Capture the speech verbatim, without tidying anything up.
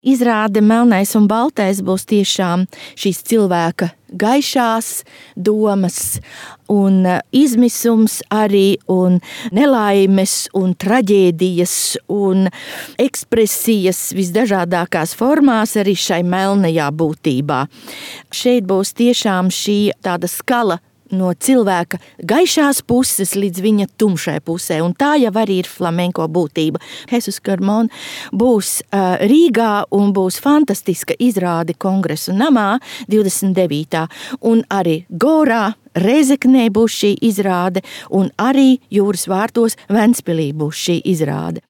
Izrāde melnais un baltais būs tiešām šīs cilvēka gaišās domas un izmisums arī un nelaimes un traģēdijas un ekspresijas visdažādākās formās arī šai melnajā būtībā. Šeit būs tiešām šī tāda skala no cilvēka gaišās puses līdz viņa tumšai pusē, un tā jau arī ir flamenko būtība. Jesus Carmon būs uh, Rīgā un būs fantastiska izrāde Kongresu namā divdesmit devītā un arī Gorā, Rēzeknē būs šī izrāde un arī Jūras vārtos Ventspilī būs šī izrāde.